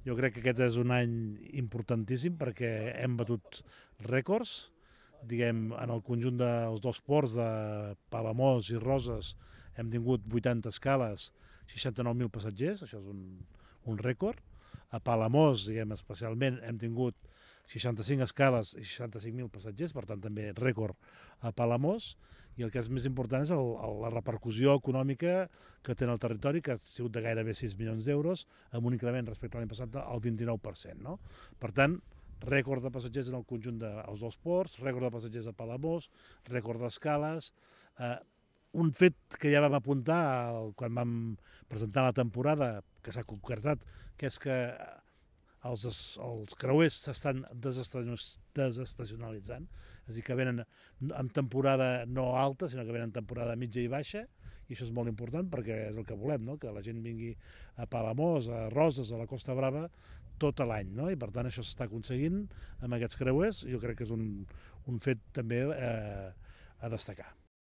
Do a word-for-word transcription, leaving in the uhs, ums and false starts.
Jo crec que aquest és un any importantíssim perquè hem batut rècords, diguem, en el conjunt dels dos ports de Palamós i Roses hem tingut vuitanta escales, seixanta-nou mil passatgers, això és un, un rècord. A Palamós, diguem, especialment, hem tingut seixanta-cinc escales i seixanta-cinc mil passatgers, per tant també rècord a Palamós, i el que és més important és el, el, la repercussió econòmica que té en el territori, que ha sigut de gairebé sis milions d'euros, amb un increment respecte a l'any passat al vint-i-nou per cent. No? Per tant, rècord de passatgers en el conjunt dels dos ports, rècord de passatgers a Palamós, rècord d'escales, eh, un fet que ja vam apuntar quan vam presentar la temporada, que s'ha concretat, que és que els, els creuers s'estan desestacionalitzant, és a dir, que venen en temporada no alta, sinó que venen en temporada mitja i baixa, i això és molt important perquè és el que volem, no? Que la gent vingui a Palamós, a Roses, a la Costa Brava, tot l'any, no? I per tant això s'està aconseguint amb aquests creuers, i jo crec que és un, un fet també eh, a destacar.